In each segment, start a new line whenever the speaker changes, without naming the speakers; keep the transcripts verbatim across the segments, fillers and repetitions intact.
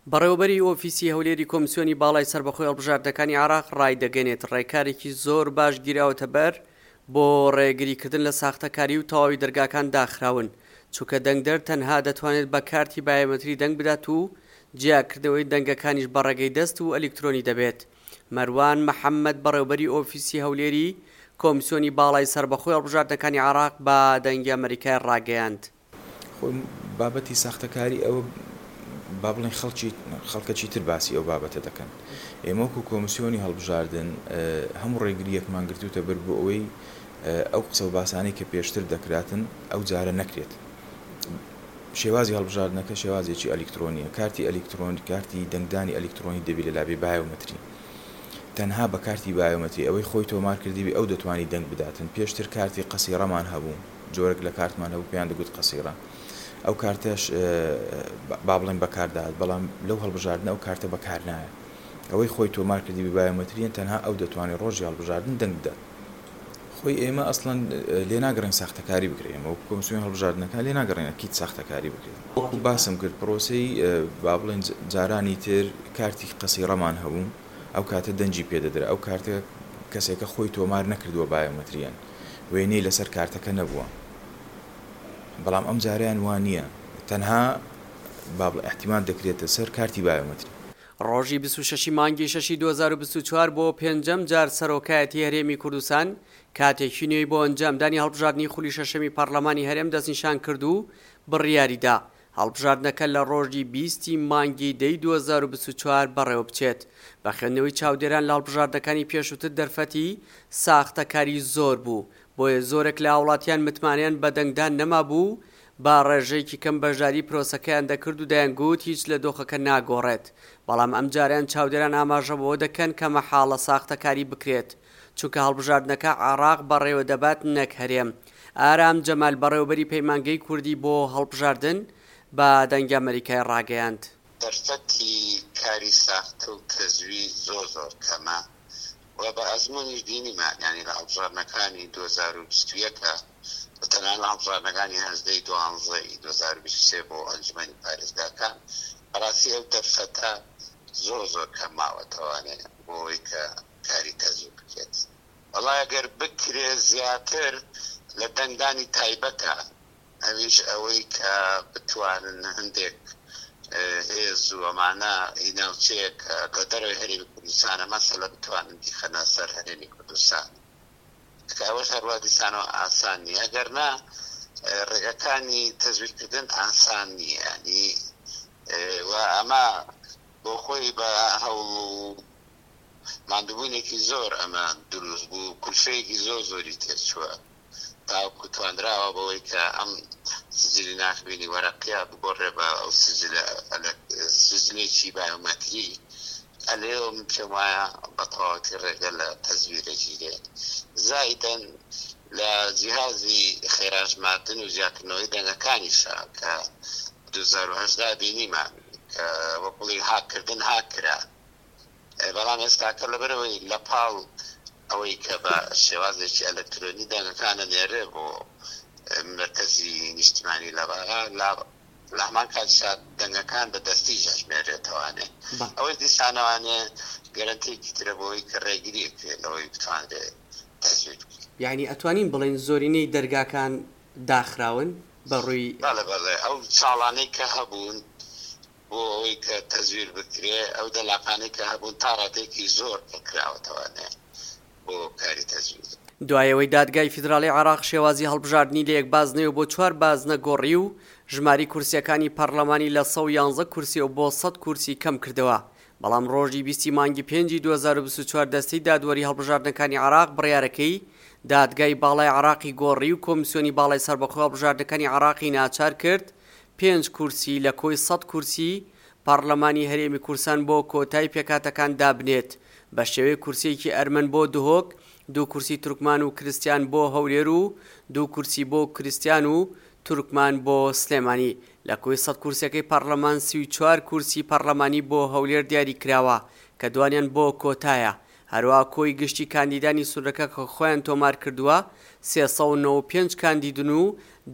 بەڕێوەبەری ئۆفیسی هەولێری کۆمسیۆنی باڵای سەربەخۆی هەڵبژاردنەکانی عێراق ڕایدەگەیەنێت، ڕێکارێکی زۆر باش گیراوەتە بەر بۆ ڕێگریکردن لە ساختەکاری و تەواوی دەرگاکان داخراون، چونکە دەنگدەر تەنها دەتوانێت بە کارتی بایۆمەتری دەنگ بدات و جیاکردنەوەی دەنگەکانیش بە ڕێگەی دەست و ئەلیکترۆنی دەبێت. مەروان محەممەد بەڕێوبەری ئۆفیسی هەولێری کۆمسیۆنی باڵای سەربەخۆی هەڵبژاردنەکانی عێراق بە دەنگی ئەمەریکای ڕاگەیاند.
خۆی بابەتی ساختەکاری ئەوە با بڵێن خەڵکی خەڵکەکی تر باسی ئەو بابەتە دەکەن. ئێمە وەکو کۆمسیۆنی هەڵبژاردن هەموو ڕێگریەکمان گرتوتە بەر بۆ ئەوەی ئەو قسە و باسانەی کە پێشتر دەکراتن ئەو جارە نەکرێت. شێوازی هەڵبژاردنەکە شێوازێکی ئەلیکترۆنیە، کارتی ئەلیکترۆن کارتی دەنگدانی ئەلیکترۆنی دەبی لە لابێ بایۆمەتری، تەنها بە کارتی بایۆمەتری ئەوەی خۆی تۆمار کردیبی ئەو دەتوانی دەنگ بداتن. پێشتر کارتی قەسیڕەمان هەبوو، جۆرێک لە کارتمان هەبوو پێیان دەگوت قەسیڕە، ئەو کارتەش با بڵێن بەکاردات، بەڵام لەو هەڵبژاردنە ئەو کارتە بەکار نایە. ئەوەی خۆی تۆمار کردیبی بایۆمەتریە تەنها ئەو دەتوانێت ڕۆژی هەڵبژاردن دەنگ بدات. خۆی ئێمە ئەسڵەن لێ ناگەڕێن ساختەکاری بکرێت، ئێمە وەکو کۆمسیۆن هەڵبژاردنەکان لێ ناگەڕێن ئەکید ساختەکاری بکرێت. وەکو باسم کرد پرۆسەی با بڵێن جارانی تر کارتی قەسیڕەمان هەبوو، ئەو کاتە دەنگی پێدەدرا، ئەو کارتە کەسێکە خۆی تۆمار نەکردووە بایۆمەتریان، وێنەی لەسەر کارتەکە نەبووە، بەڵام ئەم جاریان وان نییە، تەنها با بڵێ احتیمال دەکرێتە سەر کارتی بایۆمەتری.
ڕۆژی بیست و شەش مانگی شەشی دوو هەزار و بیست و چوار بۆ پێنجەم جار سەرۆکایەتی هەرێمی کوردستان کاتێکی نوێی بۆ ئەنجامدانی هەڵبژاردنی خولی شەشەمی پەرلەمانی هەرێم دەستنیشان کرد و بڕیاریدا هەڵبژاردنەکە لە ڕۆژی بیستی مانگی دەی دوو هەزار و بیست و چوار بەڕێوە بچێت. بە خوێندنەوەی چاودێران لە هەڵبژاردنەکانی پێشووتر دەرفەتی ساختەکاری زۆر بوو، بۆیە زۆرێک لە هاوڵاتیان متمانەیان بە دەنگدان نەمابوو، با ڕێژەیەکی کەم بەشداری پرۆسەکەیان دەکرد و دەیانگوت هیچ لە دۆخەکە ناگۆڕێت. بەڵام ئەم جاریان چاودێران ئاماژە بەوە دەکەن کە مەحاڵە ساختەکاری بکرێت، چونکە هەڵبژاردنەکە عێراق بەڕێوە دەبات نەک هەرێم. ئارام جەمال بەڕێوەبەری پەیمانگەی کوردی بۆ هەڵبژاردن بە دەنگی ئەمەریکای ڕاگەیاند.
دەرفەتی کاری ساختە و تەزویر زۆر زۆر کەمە و بە ئەزمموونیش بینیمان، یعنی لە هەڵبژاردنەکانی دوو هەزار و بیست و یەک و تەنانەت لە هەڵبژاردنەکانی هەژدەی دوانزەی دوو هەزار و بیست و سێ بۆ ئەنجومەنی پارێزگاکان بەڕاستی ئەو دەرفەتە زۆر زۆر کەم ماوەتەوانێ بۆ ئەوەی کە کاری تەزویر بکرێت. وەڵای ئەگەر بکرێت زیاتر لە دەنگدانی تایبەتە، ئەویش ئەوەی کە بتوانن هەندێک هێز و ئەمانە ئی ناوچەیە کە لە دەرەوەی هەرێمی کوردستانە مەسەلە بتوانن بیخەنە سەر هەرێمی کوردستان، کە ئەوەش هەروە دیسانەوە ئاسان نییە. ئەگەر نا ڕێگەکانی تەزویرکردن ئاسان نییە، ینی و ئەمە بۆ خۆی بە هەوڵ و ماندووبوونێکی زۆر ئەمە دروست بوو، کولفەیەکی زۆر زۆری تێچووە تاوەکو توانراوە بەوەی کە ئەم سجلی ناخبینی وەرەقیە بگۆڕێ بە ئەو سجلە سجلێکی بایۆمەتری. ئەلێەوە من پێم وایە بە تەواوەتی ڕێگە لە تەزویرە گیرێت. زائیدەن لە جیهازی خێراژماردن و جیاکردنەوەی دەنگەکانیشە کە دوو هەزار و هەژدە بینیمان کە وەکوڵی هاککردن هاک کرا، بەڵام ئێستاکە لەبەرەوەی لە پاڵ ئەوەی کە بە شێوازێکی ئەلکترۆنی دەنگەکانە نێرێ بۆ مرکزی نیشتمانی لە بەغا، لە هەمان کاتیشا دەنگەکان بە دەستی ژەژمێرێتەوانێ. ئەوەی دیسانەوانێ گەرەنتیەکی ترە بۆ ئەوەی کە ڕێگری بکرێت لەوەی بتوانرێت تەزویر بکرێت.
یعنی ئەتوانین بڵێن زۆرینەی دەرگاکان داخراون بە ڕووی
بەڵێ بەڵێ، ئەو چاڵانەی کە هەبوون بۆ ئەوەی کە تەزویر بکرێ، ئەو دەلاقانەی کە هەبوون تا ڕادەیەکی زۆر پڕکراوەتەوانێ بۆ کاری تەزویر.
دوای ئەوەی دادگای فیدراڵی عێراق شێوازی هەڵبژاردنی لە یەک بازنەوە بۆ چوار بازنە گۆڕی و ژماری کورسیەکانی پەرلەمانی لە سەد و یانزە کورسیەوە بۆ سەد کورسی کەم کردەوە، بەڵام ڕۆژی بیستی مانگی پێنجی دوو هەزار و بیست و چوار دەستەی دادوەری هەڵبژاردنەکانی عێراق بڕیارەکەی دادگای باڵای عێراقی گۆڕی و کۆمیسیۆنی باڵای سەربەخۆی هەڵبژاردنەکانی عێراقی ناچار کرد پێنج کورسی لە کۆی سەد کورسی پەرلەمانی هەرێمی کوردستان بۆ کۆتای پێکهاتەکان دابنێت، بە شێوەی کورسیەکی ئەرمەن بۆ دهۆک، دوو کورسی تورکمان و کریستیان بۆ هەولێر و دوو کورسی بۆ کریستیان و تورکمان بۆ سلێمانی. لە کۆی سەد کورسیەکەی پەرلەمان سی و چوار کورسی پەرلەمانی بۆ هەولێر دیاری کراوە کە دوانیان بۆ کۆتایە. هەروە کۆی گشتی کاندیدانی سوورەکە کە خۆیان تۆمار کردووە سێ سەد و نەوەد و پێنج کاندیدن و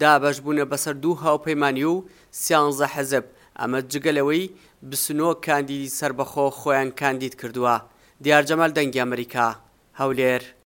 دابەش بوونە بەسەر دوو هاوپەیمانی و سیانزە حزب. ئەمە جگە لەوەی بیست و نۆ کاندیدی سەربەخۆ خۆیان کاندید کردووە. دیار جەمال، دەنگی ئەمریکا، هەولێر.